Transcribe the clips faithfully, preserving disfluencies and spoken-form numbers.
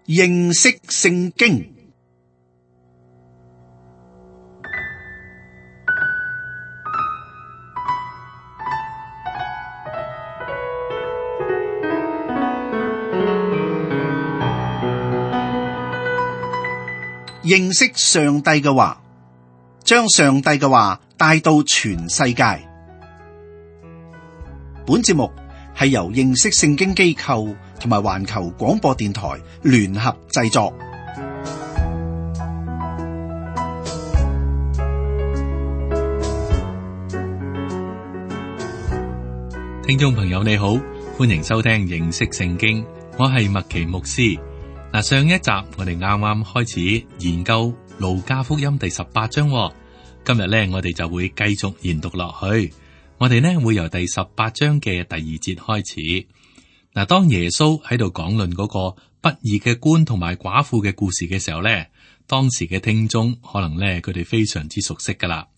認識聖經。認識上帝嘅話，將上帝嘅話帶到全世界。本節目係由認識聖經機構同埋環球廣播電台聯合製作。聽眾朋友你好，歡迎收聽認識聖經，我係麥奇牧師。嗱，上一集我哋啱啱開始研究路加福音第十八章，今日咧我哋就會繼續研讀落去。我哋呢會由第十八章嘅第二節開始。嗱，當耶穌喺度講論嗰個不義嘅官同埋寡婦嘅故事嘅時候咧，當時嘅聽眾可能咧佢哋非常之熟悉噶啦，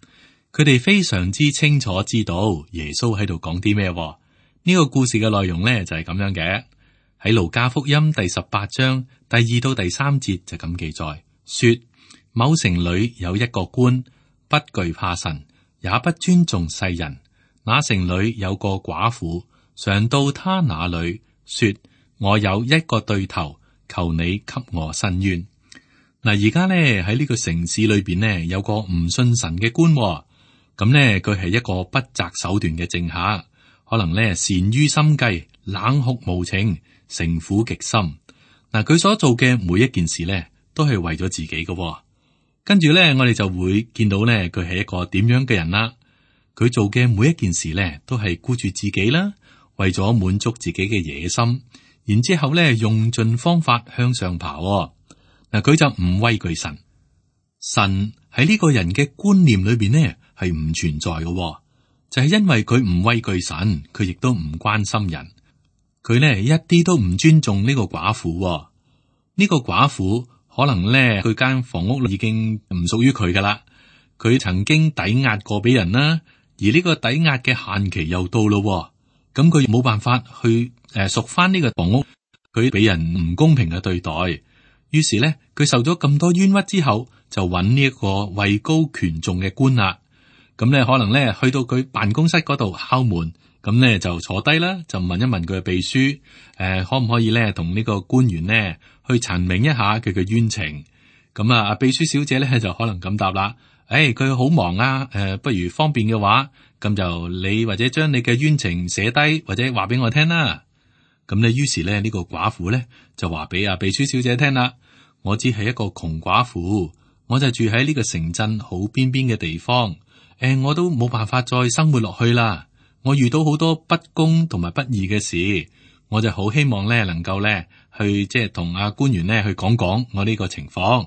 佢哋非常之清楚知道耶穌喺度講啲咩。呢個故事嘅內容咧就係咁樣嘅。喺路加福音第十八章第二到第三節就咁記載，說某城裏有一個官，不懼怕神，也不尊重世人。那城裏有個寡婦，常到他那裏，說我有一個對頭，求你給我伸冤。嗱，而家咧喺呢個城市裏邊呢，有個唔信神嘅官，咁呢，佢係一個不擇手段嘅政客，可能咧善於心計，冷酷無情，城府極深。嗱，佢所做嘅每一件事咧，都係為咗自己嘅。跟住咧，我哋就會見到咧，佢係一個點樣嘅人啦。佢做嘅每一件事咧，都係顧住自己啦，為咗滿足自己嘅野心，然之後咧用盡方法向上爬。嗱，佢就唔畏懼神，神喺呢個人嘅觀念裏邊呢係唔存在嘅，就係因為佢唔畏懼神，佢亦都唔關心人。佢呢一啲都唔尊重呢個寡婦。呢個寡婦可能咧佢間房屋已經唔屬於佢噶啦，佢曾經抵押過俾人啦。而呢個抵押嘅限期又到咯，咁佢冇辦法去誒贖翻呢個房屋，佢俾人唔公平嘅對待，於是咧佢受咗咁多冤屈之後，就揾呢一個位高權重嘅官啦。咁咧可能咧去到佢辦公室嗰度敲門，咁咧就坐低啦，就問一問佢嘅秘書，誒、呃、可唔可以咧同呢個官員咧去陳明一下佢嘅冤情？咁啊，秘書小姐咧就可能咁答啦。誒，佢好、哎、忙啊！誒、呃，不如方便嘅話，咁就你或者將你嘅冤情寫低，或者話俾我聽啦。咁咧，於是咧呢、這個寡婦咧就話俾阿秘書小姐聽啦。我只係一個窮寡婦，我就住喺呢個城鎮好邊邊嘅地方。誒、呃，我都冇辦法再生活落去啦。我遇到好多不公同埋不義嘅事，我就好希望咧能夠咧去即係同阿官員咧去講講我呢個情況。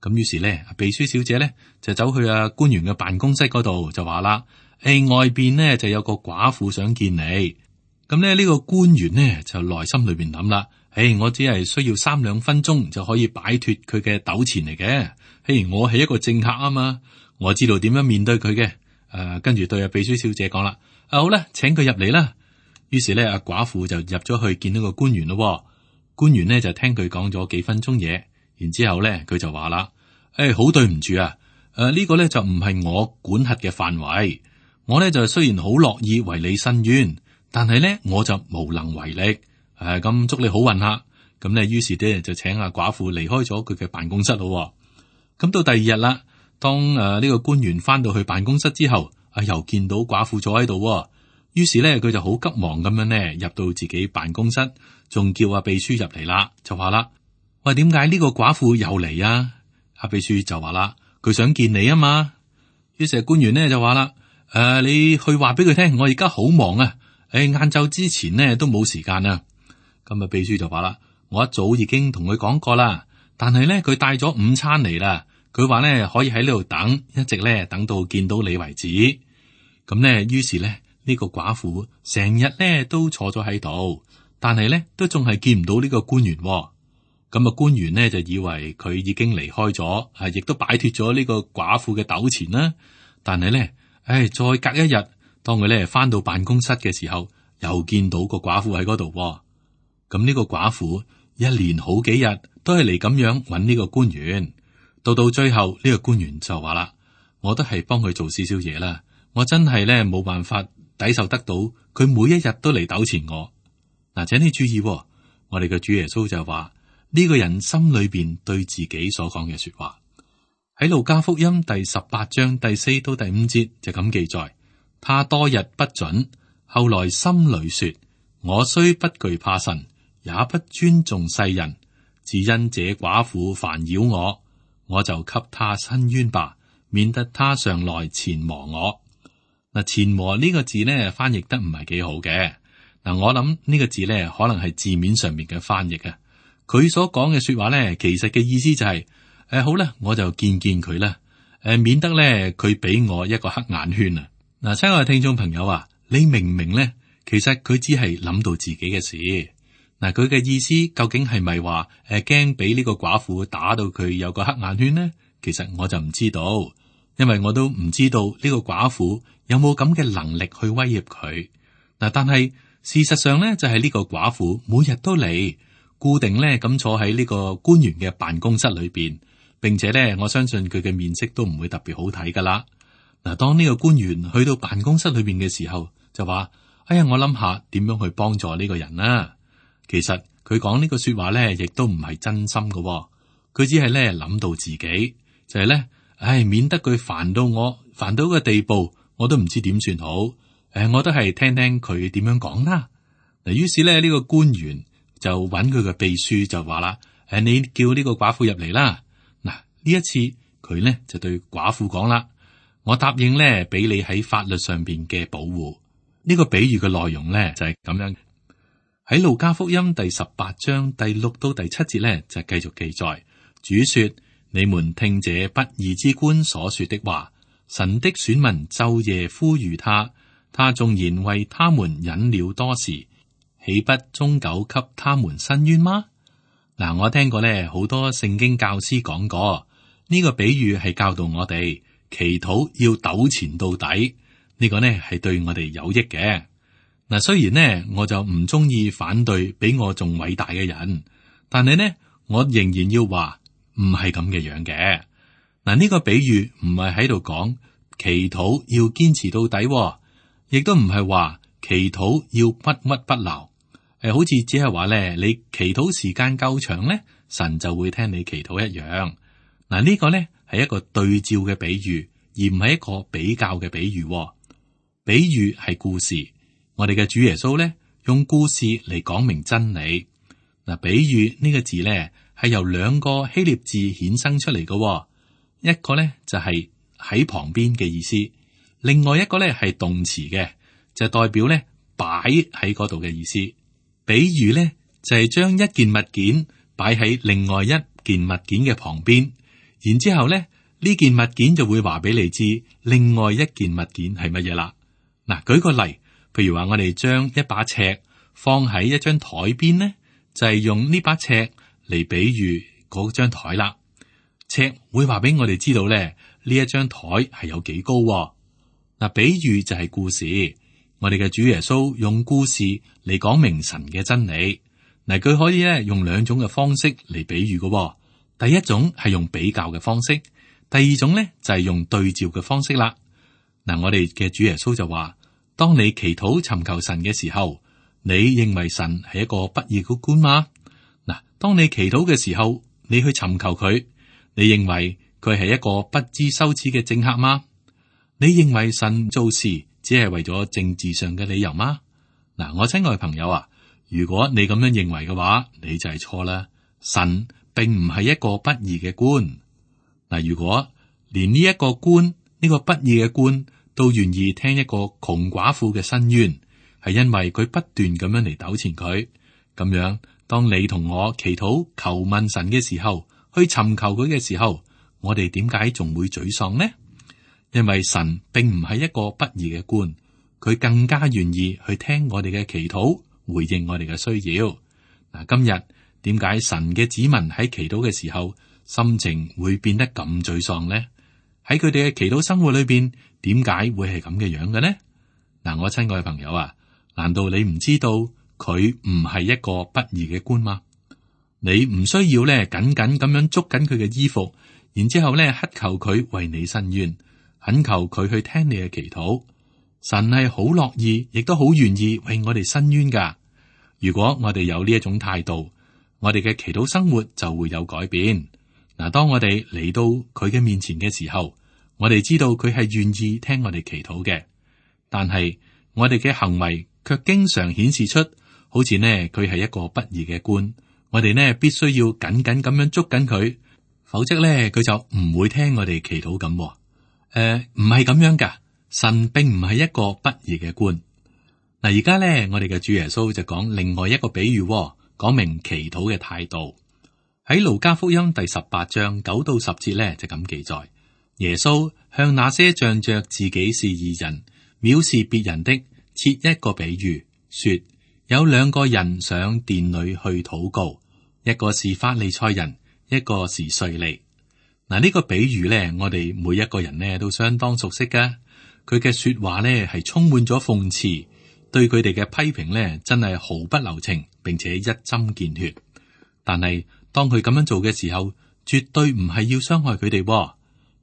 咁於是咧，秘書小姐咧就走去阿官員嘅辦公室嗰度，就話啦：誒、欸，外邊呢就有個寡婦想見你。咁咧呢個官員呢就內心裏邊諗啦：誒、欸，我只係需要三兩分鐘就可以擺脫佢嘅糾纏嚟嘅。嘿，我係一個政客啊嘛，我知道點樣面對佢嘅。誒、呃，跟住對阿秘書小姐講啦：啊，好啦，請佢入嚟啦。於是咧，阿寡婦就入咗去見到個官員咯。官員呢就聽佢講咗幾分鐘嘢，然之後咧佢就話啦。誒、哎，好對唔住啊！誒、呃，呢、這個咧就唔係我管轄嘅範圍。我咧就雖然好樂意為你伸冤，但係咧我就無能為力。誒、呃，咁祝你好運下。咁咧，於是咧就請阿寡婦離開咗佢嘅辦公室咯。咁到第二日啦，當誒呢、呃這個官員翻到去辦公室之後，啊又見到寡婦坐喺度。於是咧佢就好急忙咁樣咧入到自己辦公室，仲叫阿秘書入嚟啦，就話啦：喂，點解呢個寡婦又嚟啊？阿秘書就話啦，佢想見你啊嘛。於是官員呢就話啦，誒、呃，你去話俾佢聽，我而家好忙啊，誒，晏晝之前呢都冇時間啊。咁啊，秘書就話啦，我一早已經同佢講過啦，但係呢，佢帶咗午餐嚟啦，佢話呢可以喺呢度等，一直呢等到見到你為止。咁呢，於是呢，呢、呢個寡婦成日呢都坐咗喺度，但係呢都仲係見唔到呢個官員。咁啊，官員呢就以為佢已經離開咗，啊，亦都擺脫咗呢個寡婦嘅糾纏啦。但係咧，唉，再隔一日，當佢咧翻到辦公室嘅時候，又見到個寡婦喺嗰度。咁呢個寡婦一連好幾日都係嚟咁樣揾呢個官員。到到最後呢個官員就話啦，我都係幫佢做少少嘢啦，我真係咧冇辦法抵受得到佢每一日都嚟糾纏我。嗱，請你注意，我哋嘅主耶穌就話呢個人心裏邊對自己所講嘅說話，喺路加福音第十八章第四到第五節就咁記載。他多日不准，後來心裏說：我雖不懼怕神，也不尊重世人，只因這寡婦煩擾我，我就給他伸冤吧，免得他上來纏磨我。嗱，纏磨呢個字呢，翻譯得唔係幾好嘅。嗱，我諗呢個字呢，可能係字面上面嘅翻譯啊。佢所講嘅說話呢，其實嘅意思就係、是、誒、呃，好啦，我就見見佢啦，誒、呃，免得呢，佢俾我一個黑眼圈啊。嗱，親愛嘅聽眾朋友啊，你明唔明呢？其實佢只係諗到自己嘅事。嗱，佢嘅意思究竟係咪話誒驚俾呢個寡婦打到佢有個黑眼圈呢？其實我就唔知道，因為我都唔知道呢個寡婦有冇咁嘅能力去威脅佢。嗱，但係事實上咧，就係呢個寡婦每日都嚟，固定咧咁坐喺呢個官員嘅辦公室裏邊，並且咧我相信佢嘅面色都唔會特別好睇噶啦。嗱，當呢個官員去到辦公室裏邊嘅時候，就話：哎呀，我諗下點樣去幫助呢個人啦。其實佢講呢個說話咧，亦都唔係真心噶，佢只係咧諗到自己，就係咧，唉，免得佢煩到我，煩到個地步，我都唔知點算好。誒，我都係聽聽佢點樣講啦。嗱，於是咧呢個官員就揾佢嘅秘書就話啦：誒，你叫呢個寡婦入嚟啦。嗱，呢一次佢咧就對寡婦講啦。我答應咧，俾你喺法律上邊嘅保護。呢個比喻嘅內容咧就係咁樣。喺路加福音第十八章第六到第七節咧就繼續記載。主說：你們聽這不義之官所說的話，神的選民晝夜呼籲他，他縱然為他們忍了多時，豈不終久給他們伸冤嗎？嗱，我聽過咧好多聖經教師講過，呢個比喻係教導我哋。祈禱要糾纏到底，呢個呢係對我哋有益嘅。嗱，雖然呢我就唔中意反對比我仲偉大嘅人，但係呢我仍然要話唔係咁嘅樣嘅。嗱，呢個比喻唔係喺度講祈禱要堅持到底，亦都唔係話祈禱要不屈不撓。誒，好似只係話咧，你祈禱時間夠長咧，神就會聽你祈禱一樣。嗱，呢個咧。係一個對照嘅比喻，而唔係一個比較嘅比喻。比喻係故事，我哋嘅主耶穌咧用故事嚟講明真理。嗱，比喻呢個字咧係由兩個希臘字衍生出嚟嘅，一個咧就係喺旁邊嘅意思，另外一個咧係動詞嘅，就代表咧擺喺嗰度嘅意思。比喻咧就係將一件物件擺喺另外一件物件嘅旁邊。然之後咧，呢件物件就會話俾你知，另外一件物件係乜嘢啦。嗱，舉個例，譬如話我哋將一把尺放喺一張台邊咧，就係、是、用呢把尺嚟比喻嗰張台啦。尺會話俾我哋知道咧，呢一張台係有幾高。嗱，比喻就係故事，我哋嘅主耶穌用故事嚟講明神嘅真理。嗱，佢可以咧用兩種嘅方式嚟比喻嘅。第一種係用比較嘅方式，第二種咧就係用對照嘅方式啦。嗱，我哋嘅主耶穌就話：當你祈禱尋求神嘅時候，你認為神係一個不義嘅官嗎？嗱，當你祈禱嘅時候，你去尋求佢，你認為佢係一個不知羞恥嘅政客嗎？你認為神做事只係為咗政治上嘅理由嗎？嗱，我親愛嘅朋友啊，如果你咁樣認為嘅話，你就係錯啦。神並唔係一個不義嘅官。嗱，如果連呢一個官，呢個不義嘅官都願意聽一個窮寡婦嘅申冤，係因為佢不斷咁樣嚟糾纏佢。咁樣，當你同我祈禱求問神嘅時候，去尋求佢嘅時候，我哋點解仲會沮喪呢？因為神並唔係一個不義嘅官，佢更加願意去聽我哋嘅祈禱，回應我哋嘅需要。嗱，今日。點解神嘅子民喺祈禱嘅時候心情會變得咁沮喪呢？喺佢哋嘅祈禱生活裏邊，點解會係咁嘅樣嘅呢？嗱，我親愛嘅朋友啊，難道你唔知道佢唔係一個不義嘅官嗎？你唔需要咧緊緊咁樣捉緊佢嘅衣服，然之後咧乞求佢為你伸冤，懇求佢去聽你嘅祈禱。神係好樂意，亦都好願意為我哋伸冤噶。如果我哋有呢一種態度，我哋嘅祈禱生活就會有改變。嗱，當我哋嚟到佢嘅面前嘅時候，我哋知道佢係願意聽我哋祈禱嘅，但係我哋嘅行為卻經常顯示出，好似呢佢係一個不義嘅官，我哋呢必須要緊緊咁樣捉緊佢，否則呢佢就唔會聽我哋祈禱咁。誒、呃，唔係咁樣噶，神並唔係一個不義嘅官。嗱，而家呢我哋嘅主耶穌就講另外一個比喻，講明祈禱嘅態度。喺路加福音第十八章九到十節呢就咁記載，耶穌向那些仗着自己是義人，藐視別人的，設一個比喻，說有兩個人上殿裏去禱告，一個是法利賽人，一個是稅吏。嗱，呢個比喻呢，我哋每一個人呢都相當熟悉噶。佢嘅說話呢係充滿咗諷刺，對佢哋嘅批評呢真係毫不留情，並且一針見血。但係當佢咁樣做嘅時候，絕對唔係要傷害佢哋。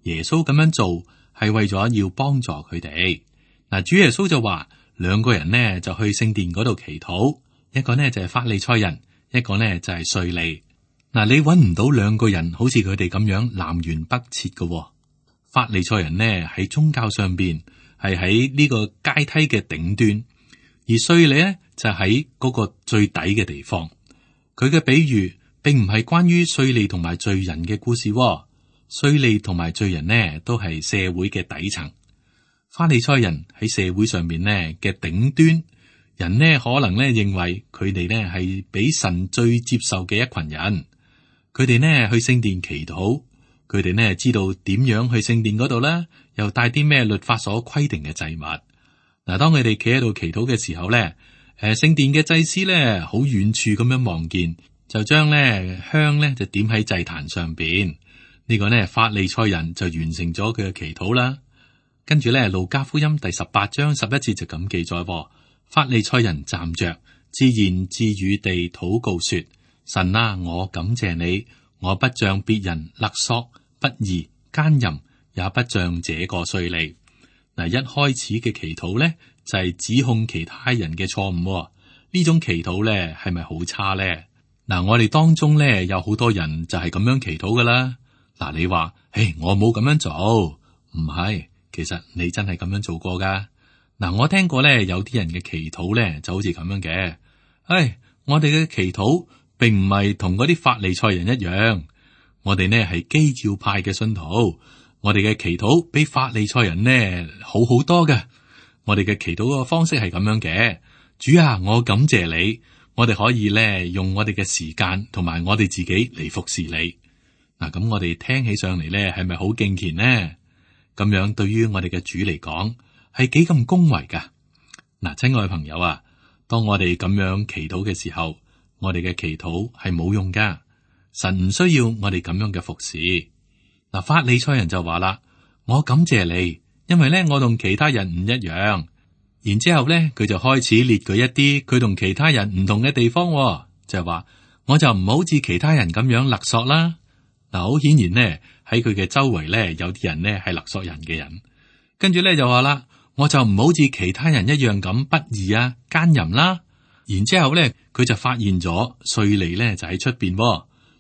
耶穌咁樣做係為咗要幫助佢哋。嗱，主耶穌就話兩個人呢就去聖殿嗰度祈禱，一個呢就係法利賽人，一個呢就係稅吏。嗱，你揾唔到兩個人好似佢哋咁樣南轅北轍嘅。法利賽人呢喺宗教上邊係喺呢個階梯嘅頂端，而稅吏呢就喺嗰個最底嘅地方。佢嘅比喻並唔係關於稅吏同埋罪人嘅故事。稅吏同埋罪人呢都係社會嘅底層，法利賽人喺社會上面呢嘅頂端，人呢可能呢認為佢哋呢係俾神最接受嘅一群人。佢哋呢去聖殿祈禱，佢哋呢知道點樣去聖殿嗰度啦，又帶啲咩律法所規定嘅祭物。嗱，當佢哋企喺度祈禱嘅時候呢，誒，聖殿嘅祭司呢好遠處咁樣望見，就將呢香呢就點喺祭壇上邊。呢個呢法利賽人就完成咗佢嘅祈禱啦。跟住呢路加福音第十八章十一節就咁記載，法利賽人站着自言自語地禱告說：神啊，我感謝你，我不像別人勒索、不義、奸淫，也不像這個稅吏。嗱，一開始嘅祈禱呢就係指控其他人嘅錯誤。呢種祈禱呢係咪好差呢？嗱，我哋當中呢有好多人就係咁樣祈禱噶啦。嗱，你話，誒，我冇咁樣做，唔係，其實你真係咁樣做過噶。嗱，我聽過咧，有啲人嘅祈禱咧就好似咁樣嘅。唉，我哋嘅祈禱並唔係同嗰啲法利賽人一樣，我哋呢係基要派嘅信徒，我哋嘅祈禱比法利賽人呢好好多嘅。我哋嘅祈禱個方式係咁樣嘅：主啊，我感謝你，我哋可以咧用我哋嘅時間同埋我哋自己嚟服侍你。嗱，咁我哋聽起上嚟咧，係咪好敬虔呢？咁樣對於我哋嘅主嚟講，係幾咁恭維噶？嗱，親愛朋友啊，當我哋咁樣祈禱嘅時候，我哋嘅祈禱係冇用噶。神唔需要我哋咁樣嘅服侍。嗱，法利賽人就話啦：我感謝你，因為咧我同其他人唔一樣。然之後咧，佢就開始列舉一啲佢同其他人唔同嘅地方，就係話我就唔好似其他人咁樣勒索啦。嗱，好顯然呢，喺佢嘅周圍咧，有啲人呢係勒索人嘅人。跟住咧就話啦，我就唔好似其他人一樣咁不義啊、奸淫啦。然之後咧，佢就發現咗稅吏咧就喺出邊。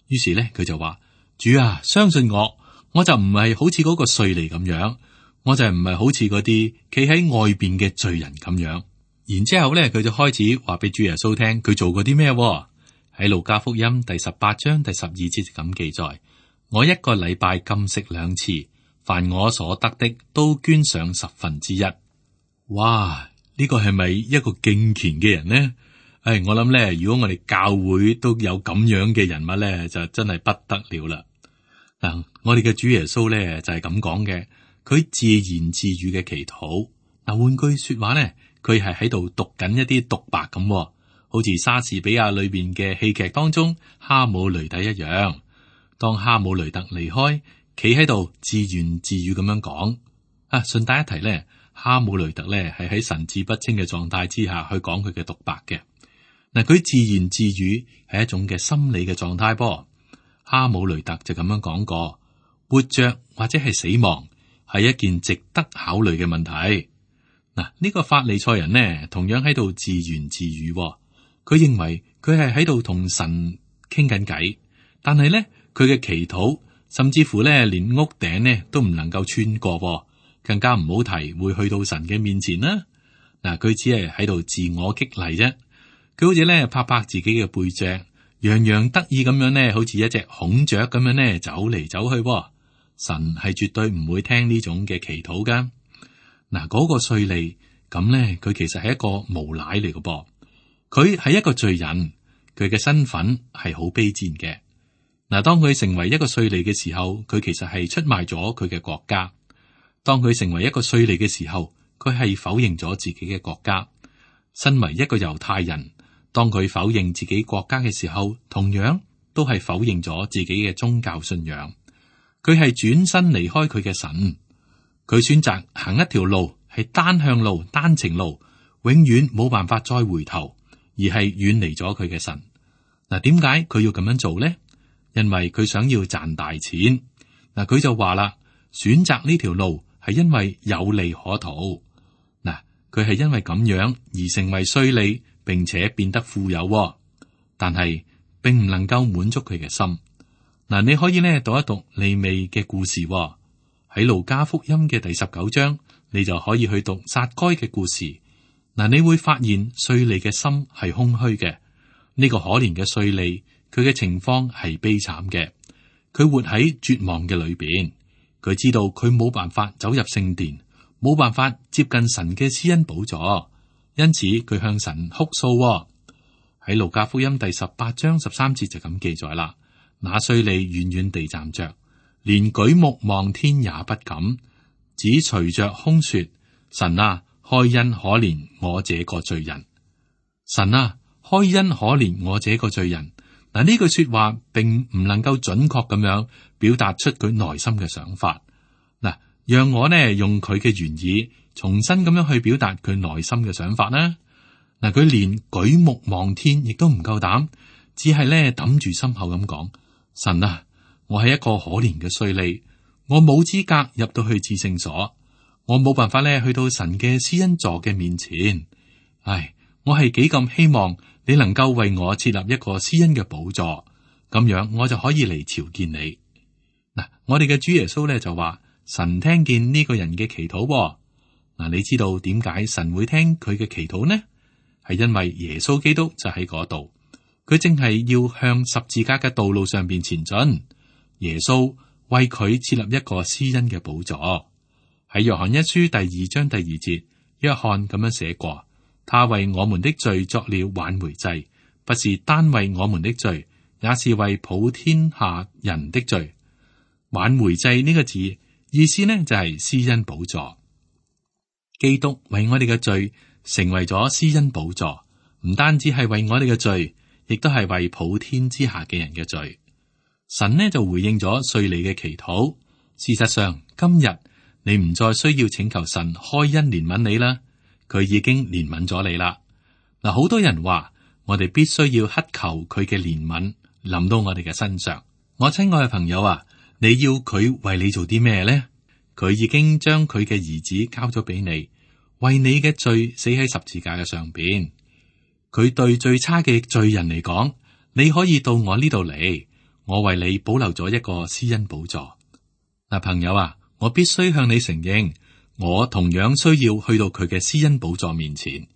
於是咧，佢就話：主啊，相信我，我就唔係好似嗰個稅吏咁樣，我就唔係好似嗰啲企喺外邊嘅罪人咁樣。然之後咧，佢就開始話俾主耶穌聽，佢做過啲咩？喺路加福音第十八章第十二節咁記載。我一個禮拜禁食兩次，凡我所得的都捐上十分之一。哇！呢個係咪一個敬虔嘅人呢？誒，我諗咧，如果我哋教會都有咁樣嘅人物咧，就真係不得了啦。嗱，我哋嘅主耶穌咧就係咁講嘅，佢自言自語嘅祈禱。嗱，換句說話咧，佢係喺度讀緊一啲獨白咁，好似莎士比亞裏邊嘅戲劇當中哈姆雷特一樣。當哈姆雷特離開，企喺度自言自語咁樣講。啊，順帶一提咧，哈姆雷特咧係喺神志不清嘅狀態之下去講佢嘅獨白嘅。嗱，佢自言自語係一種嘅心理嘅狀態噃。哈姆雷特就咁樣講過：活着或者係死亡係一件值得考慮嘅問題。嗱，呢個法利賽人呢，同樣喺度自言自語。佢認為佢係喺度同神傾緊偈，但係呢，佢嘅祈禱甚至乎呢，連屋頂呢都唔能夠穿過，更加唔好提會去到神嘅面前啦。嗱，佢只係喺度自我激勵啫。佢好似咧拍拍自己嘅背脊，洋洋得意咁樣咧，好似一隻孔雀咁樣咧走嚟走去。神係絕對唔會聽呢種嘅祈禱噶。嗱，嗰個稅吏咁咧，佢其實係一個無賴嚟嘅噃。佢係一個罪人，佢嘅身份係好卑賤嘅。嗱，當佢成為一個稅吏嘅時候，佢其實係出賣咗佢嘅國家。當佢成為一個稅吏嘅時候，佢係否認咗自己嘅國家。身為一個猶太人，當佢否認自己國家嘅時候，同樣都係否認咗自己嘅宗教信仰。佢係轉身離開佢嘅神，佢選擇行一條路，係單向路、單程路，永遠冇辦法再回頭，而係遠離咗佢嘅神。嗱，點解佢要咁樣做呢？因為佢想要賺大錢。嗱，佢就話啦，選擇呢條路係因為有利可圖。嗱，佢係因為咁樣而成為稅吏，並且變得富有，但係並唔能夠滿足佢嘅心。嗱，你可以咧讀一讀利未嘅故事喺路加福音嘅第十九章，你就可以去讀撒該嘅故事。嗱，你會發現稅吏嘅心係空虛嘅。呢個可憐嘅稅吏，佢嘅情況係悲慘嘅。佢活喺絕望嘅裏邊，佢知道佢冇辦法走入聖殿，冇辦法接近神嘅施恩寶座，因此佢向神哭訴。喺路加福音第十八章十三節就咁記載啦。那稅吏遠遠地站着，連舉目望天也不敢，只隨着空說：神啊，開恩可憐我這個罪人。神啊，開恩可憐我這個罪人。嗱，呢句說話並唔能夠準確咁樣表達出佢內心嘅想法。嗱，讓我呢用佢嘅原意重新咁樣去表達佢內心嘅想法啦。嗱，佢連舉目望天亦都唔夠膽，只係咧揼住心口咁講：神啊，我係一個可憐嘅稅吏，我冇資格入到去至聖所，我冇辦法咧去到神嘅施恩座嘅面前。唉，我係幾咁希望你能夠為我設立一個施恩嘅寶座，咁樣我就可以嚟朝見你。嗱，我哋嘅主耶穌咧就話：神聽見呢個人嘅祈禱。嗱，你知道點解神會聽佢嘅祈禱呢？係因為耶穌基督就喺嗰度。佢正係要向十字架嘅道路上邊前進，耶穌為佢設立一個施恩嘅寶座。喺約翰一書第二章第二節，約翰咁樣寫過：他為我們的罪作了挽回祭，不是單為我們的罪，也是為普天下人的罪。挽回祭呢個字意思呢就係施恩寶座。基督為我哋嘅罪成為咗施恩寶座，唔單止係為我哋嘅罪，亦都係為普天之下嘅人嘅罪。神呢就回應咗稅吏嘅祈禱。事實上，今日你唔再需要請求神開恩憐憫你啦，佢已經憐憫咗你啦。嗱，好多人話我哋必須要乞求佢嘅憐憫臨到我哋嘅身上。我親愛嘅朋友啊，你要佢為你做啲咩呢？佢已經將佢嘅兒子交咗俾你，為你嘅罪死喺十字架嘅上邊。佢對最差嘅罪人嚟講，你可以到我呢度嚟，我為你保留咗一個施恩寶座。嗱，朋友啊，我必須向你承認，我同樣需要去到佢嘅施恩寶座面前。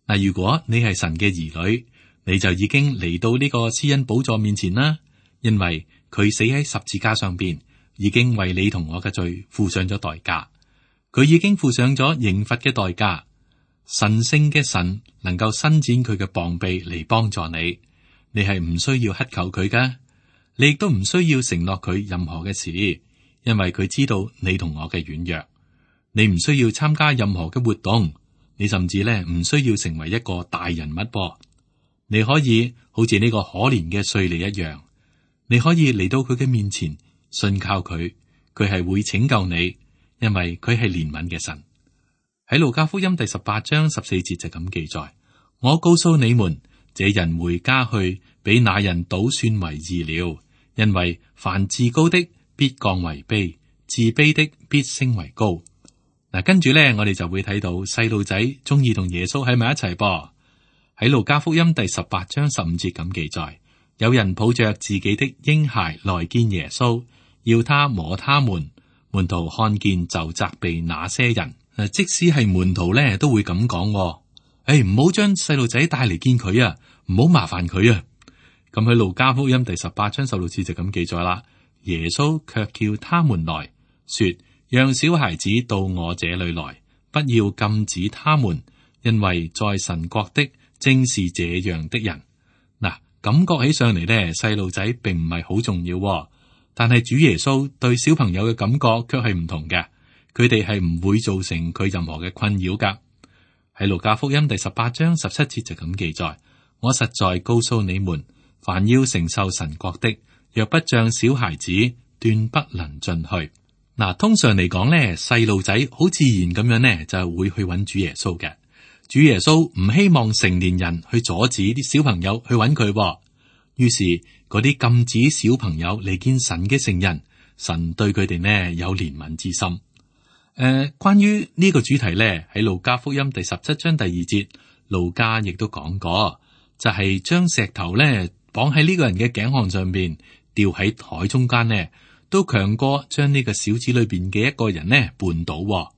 嗱，如果你係神嘅兒女，你就已經嚟到呢個施恩寶座面前啦，因為佢死喺十字架上邊，已經為你同我嘅罪付上咗代價，佢已經付上咗刑罰嘅代價。神聖嘅神能夠伸展佢嘅膀臂嚟幫助你，你係唔需要乞求佢噶，你亦都唔需要承諾佢任何嘅事，因為佢知道你同我嘅軟弱。你唔需要參加任何嘅活動，你甚至咧唔需要成為一個大人物噃。你可以好似呢個可憐嘅稅吏一樣，你可以嚟到佢嘅面前，信靠佢，佢係會拯救你，因為佢係憐憫嘅神。喺路加福音第十八章十四節就咁記載：我告訴你們，這人回家去，比那人倒算為義了。因為凡自高的必降為卑，自卑的必升為高。嗱，跟住咧，我哋就會睇到細路仔中意同耶穌喺埋一齊噃。喺路加福音第十八章十五節咁記載，有人抱着自己的嬰孩來見耶穌，要他摸他們。門徒看見就責備那些人。誒，即使係門徒咧，都會咁講，誒、哎，唔好將細路仔帶嚟見佢啊，唔好麻煩佢啊。咁喺路加福音第十八章十六節就咁記載啦。耶穌卻叫他們來說，讓小孩子到我這裏來，不要禁止他們，因為在神國的正是這樣的人。嗱，感覺起上嚟咧，細路仔並唔係好重要，但係主耶穌對小朋友嘅感覺卻係唔同嘅，佢哋係唔會造成佢任何嘅困擾噶。喺路加福音第十八章十七節就咁記載，我實在告訴你們，凡要承受神國的，若不像小孩子，斷不能進去。嗱，通常嚟講咧，細路仔好自然咁樣咧，就係會去揾主耶穌嘅。主耶穌唔希望成年人去阻止啲小朋友去揾佢，於是嗰啲禁止小朋友嚟見神嘅聖人，神對佢哋呢有憐憫之心。誒、呃，關於呢個主題咧，喺路加福音第十七章第二節，路加亦都講過，就係、是、將石頭咧綁喺呢個人嘅頸項上邊，吊喺海中間呢，都強過將呢個小子裏邊嘅一個人呢絆倒。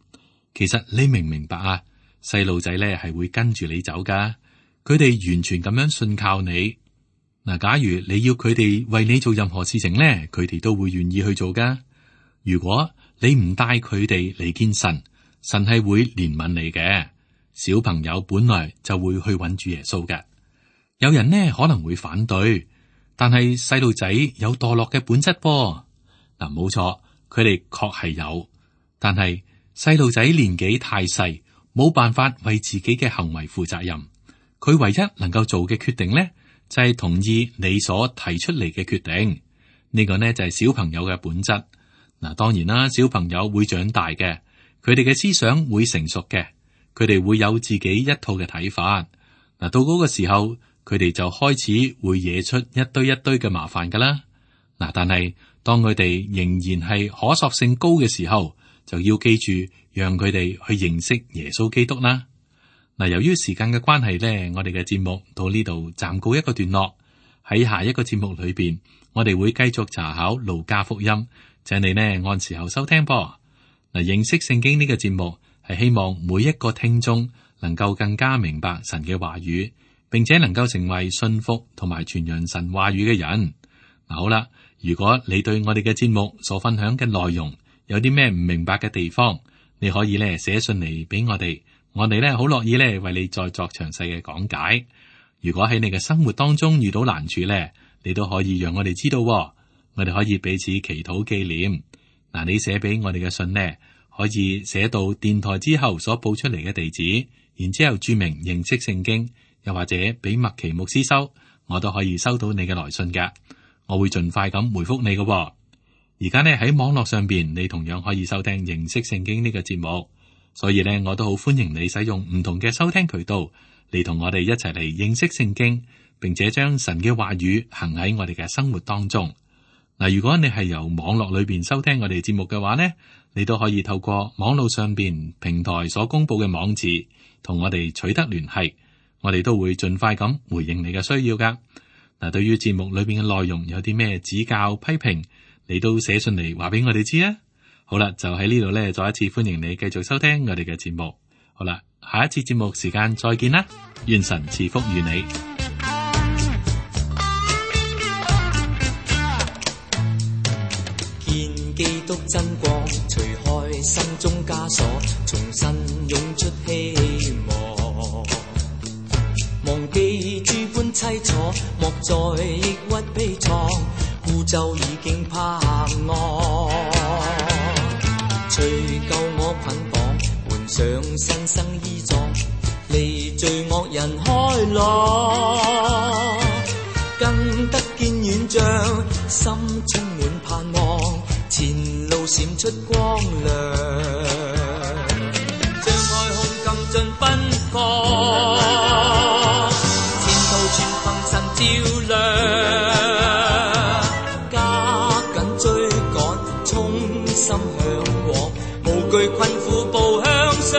其實你明唔明白啊？細路仔咧係會跟住你走噶，佢哋完全咁樣信靠你。嗱，假如你要佢哋為你做任何事情咧，佢哋都會願意去做噶。如果你唔帶佢哋嚟見神，神係會憐憫你嘅。小朋友本來就會去揾主耶穌嘅。有人呢可能會反對，但係細路仔有墮落嘅本質噃。嗱，冇錯，佢哋確係有，但係細路仔年紀太細，冇辦法為自己嘅行為負責任。佢唯一能夠做嘅決定呢，就係同意你所提出嚟嘅決定。呢個呢就係小朋友嘅本質。嗱，當然啦，小朋友會長大嘅，佢哋嘅思想會成熟嘅，佢哋會有自己一套嘅睇法。嗱，到嗰個時候，佢哋就開始會惹出一堆一堆嘅麻煩噶啦。嗱，但係當佢哋仍然係可塑性高嘅時候，就要記住讓佢哋去認識耶穌基督啦。嗱，由於時間嘅關係呢，我哋嘅節目到呢度暫告一個段落。喺下一個節目裏邊，我哋會繼續查考路加福音，請你呢按時候收聽噃。嗱，認識聖經呢個節目係希望每一個聽眾能夠更加明白神嘅話語，並且能夠成為信服同埋傳揚神話語嘅人。嗱，好啦，如果你對我哋嘅節目所分享嘅內容有啲咩唔明白嘅地方，你可以咧寫信嚟俾我哋，我哋咧好樂意咧為你再作詳細嘅講解。如果喺你嘅生活當中遇到難處咧，你都可以讓我哋知道，我哋可以彼此祈禱紀念。嗱，你寫俾我哋嘅信呢，可以寫到電台之後所報出嚟嘅地址，然之後注明認識聖經，又或者俾麥奇牧師收，我都可以收到你嘅來信㗎。我會盡快咁回覆你嘅。而家呢喺網絡上邊，你同樣可以收聽認識聖經呢個節目，所以呢，我都好歡迎你使用唔同嘅收聽渠道嚟同我哋一齊嚟認識聖經，並且將神嘅話語行喺我哋嘅生活當中。嗱，如果你係由網絡裏邊收聽我哋節目嘅話呢，你都可以透過網絡上邊平台所公布嘅網址同我哋取得聯繫，我哋都會盡快咁回應你嘅需要噶。嗱，對於節目裏邊嘅內容有啲咩指教批評，你都寫信嚟話俾我哋知啊。好啦，就喺呢度咧，再一次歡迎你繼續收聽我哋嘅節目。好啦，下一次節目時間再見啦，願神賜福與你。見基督真光，除開心中枷鎖，重新湧出希望。忘記諸般凄楚，莫再抑鬱悲愴，孤舟已經泊岸。除舊我捆綁，換上新生衣裝，離罪惡人開朗，更得見遠像，心充滿盼望，前路閃出光亮，張開胸襟盡奔放，前途全心向往，無懼困苦步向上。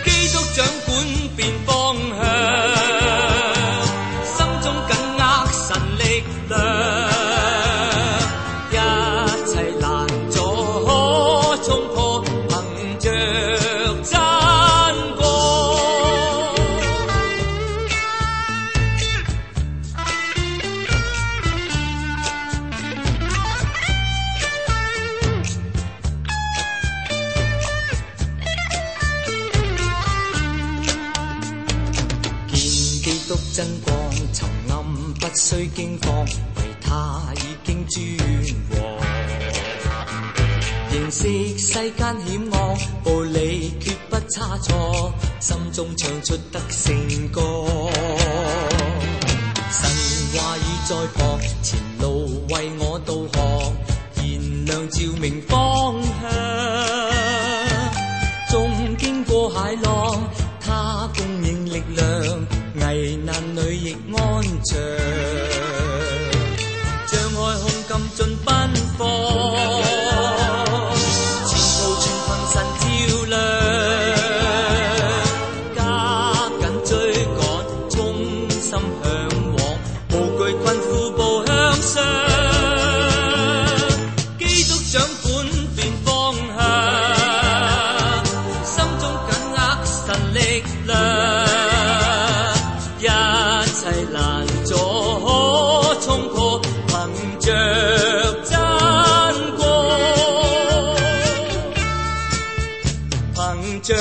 基督掌管變方向，心中緊握神力量，一切難阻可衝破，憑着真光。真光沉暗不需驚慌，為他已經尊王。認識世間險惡，步履決不差錯，心中唱出得勝歌。神話語在旁，前路為我導航，燃亮照明方向。縱經過駭浪，他供應力量，危難裏亦安詳，障礙控禁盡奔放，前途全憑神照亮，加緊追趕，衷心向往，無懼困苦步向上。基督掌管變方向，心中緊握神力量，難阻可衝破，憑着真光，憑着